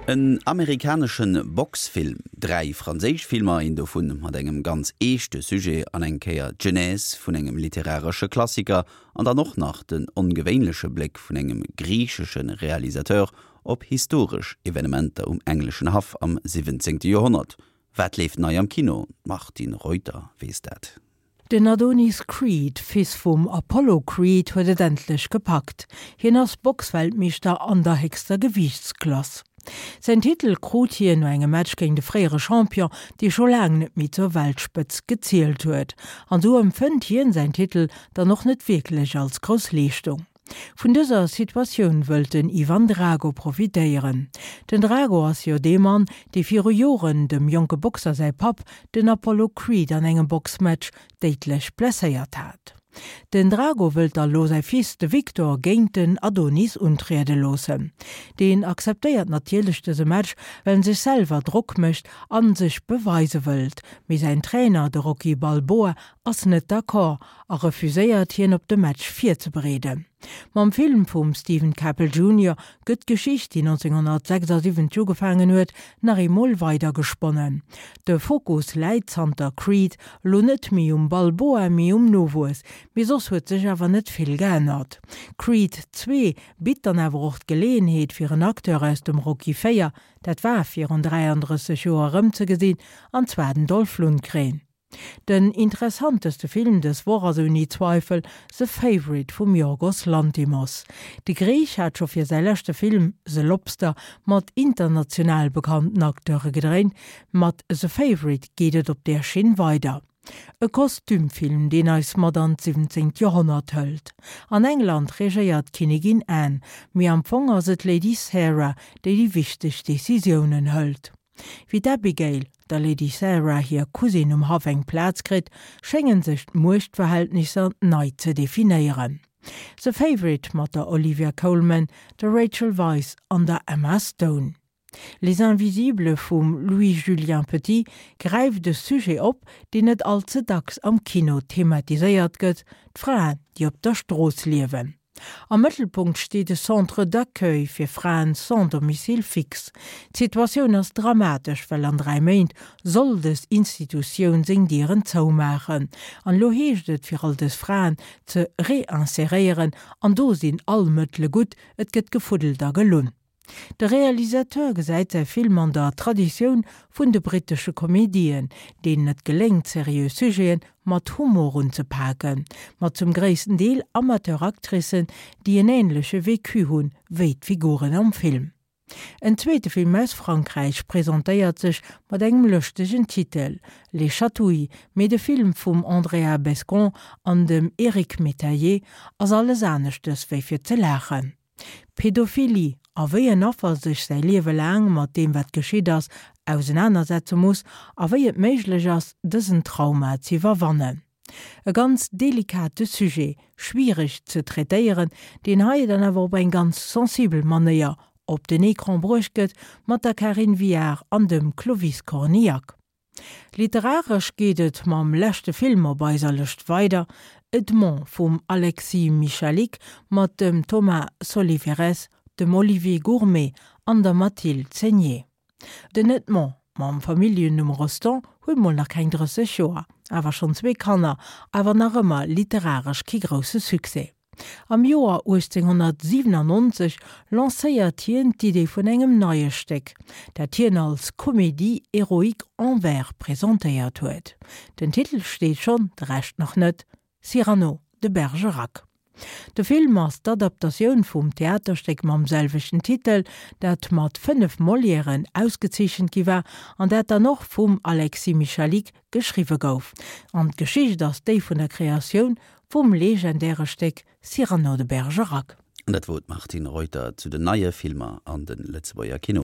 En amerikanesche Boxfilm, 3 franséisch Filmer, een dovun mat engem ganz eeschte Sujet an eng Kéier d'Genèse vun engem literaresche Klassiker an dann och nach den ongewéinleche Bléck vun engem griichesche Realisateur op historesch Evenementer um engleschen Haff am 17. Joerhonnert. Wat leeft nei am Kino? D'Martine Reuter weess dat. Den Adonis Creed, Fils vum Apollo Creed, huet et endlech gepackt. Hien ass Boxweltmeeschter an der héchster Gewiichtsklass. Säin Titel krut hien no engem Match géint e fréiere Champion, dee scho laang net méi zur Weltspëtzt gezielt huet. An sou empfënnt hien säin Titel dann och net wierklech als grouss Leeschtung. Vun dëser Situatioun wëllt den Ivan Drago profitéieren. Den Drago ass jo dee Mann, dee viru Joren dem jonke Boxer säi Papp, den Apollo Creed an engem Boxmatch déidlech blesséiert hat. Den Drago wëllt da lo säi Fils, de Victor, géint den Adonis untriede loossen. Deen akzeptéiert natierlech dëse Match, well en sech selwer Drock mécht an sech beweise wëllt. Mee säin Trainer, de Rocky Balboa, ass net d'accord a refuséiert hien op de Match virzebereeden. Mam Film vum Steven Caple Junior gëtt d'Geschicht, déi 1976 ugefaangen huet, nach eemol weidergesponnen. De Fokus läit zanter Creed elo net méi um Balboa, mee um Nowuess, mee soss huet sech awer net vill geännert. Creed 2 bitt dann awer och d'Geleeënheet fir en Acteur aus dem Rocky 4, dat war virun 33 Joer, erëmzegesinn, an zwar den Dolph Lundgren. Den interessanteste Film dës Woch ass ouni Zweifel The Favourite vum Yorgos Lanthimos. De Griich hat scho fir säi leschte Film The Lobster mat international bekannten Acteure gedréint, mat The Favourite geet et op där Schinn weider. E Kostümfilm, deen eis mat an d'siwwenzéngt Joerhonnert hëlt. An England regéiert d'Kinnigin Anne, mee am Fong ass et d'Lady Sarah, déi déi wichteg Decisiounen hëlt. Wéi d'Abigail, der Lady Sarah hir Cousine um Haff eng Plaz kritt, schéngen sech d'Muechtverhältnisser nei ze definéieren. The Favourite mat der Olivia Colman, der Rachel Weisz an der Emma Stone. Les Invisibles vum Louis-Julien Petit gräift e Sujet op, deen net all ze dacks am Kino thematiséiert gëtt, d'Fraen, déi op der Strooss liewen. Am Mëttelpunkt steet e Centre d'accueil fir Fraen sans domicile fixe. D'Situatioun ass dramatesch, well an 3 Méint soll dës Institutioun seng Dieren zoumaachen. An elo heescht et fir all dës Fraen ze reinseréieren an do sinn all Mëttele gutt, et gëtt gefuddelt a gelunn. De Realisateur gesäit säi Film an der Traditioun vun de brittesche Komedien, deenen et geléngt seriö Sujete mat Humor unzepaken, mat zum gréissten Deel Amateur-Actricen, déi en änleche Vécu hunn wéi d'Figuren am Film. En zweete Film aus Frankräich presentéiert sech mat engem lëschtegen Titel, Les Chatouilles, mee de Film vum Andrea Bescond an dem Eric Métayer ass alles aneschtes wéi fir ze laachen. Pedophilie a wéi en Affer sech säi Liewe laang mat deem wat geschitt ass ausenanersetze muss a wéi et méiglech ass dësen Trauma z'iwwerwannen. E ganz delikate Sujet, schwiereg ze traitéieren, deen hei dann awer op eng ganz sensibel Manéier op den Ecran bruecht gëtt mat der Karin Viard an dem Clovis Cornillac. Literaresch geet et mam leschte Film op eiser Lëscht weider, Edmond vum Alexis Michalik mat dem Thomas Soliveres, dem Olivier Gourmet an der Mathilde Seigner. Den Edmond mam Familljennumm Rostand huet mol nach keng 30 Joer, awer schonn zwee Kanner, awer nach ëmmer literaresch kee grousse Succès. Am Joer 1897 lancéiert hien d'Idee vun engem neie Stéck, dat hien als Comédie héroïque en vers presentéiert huet. Den Titel steet schonn, de Rescht nach net, Cyrano de Bergerac. De Film ass d'Adaptatioun vum Theaterstéck mam selwechten Titel, dat mat 5 Molièren ausgezeechent gi war an dat dann och vum Alexis Michalik geschriwwe gouf. An d'Geschicht ass déi vun der Kreatioun Vum legendäre Stéck Cyrano de Bergerac. An dat wor d'Martine Reuter zu den neie Filmer an de Lëtzebuerger Kinoen.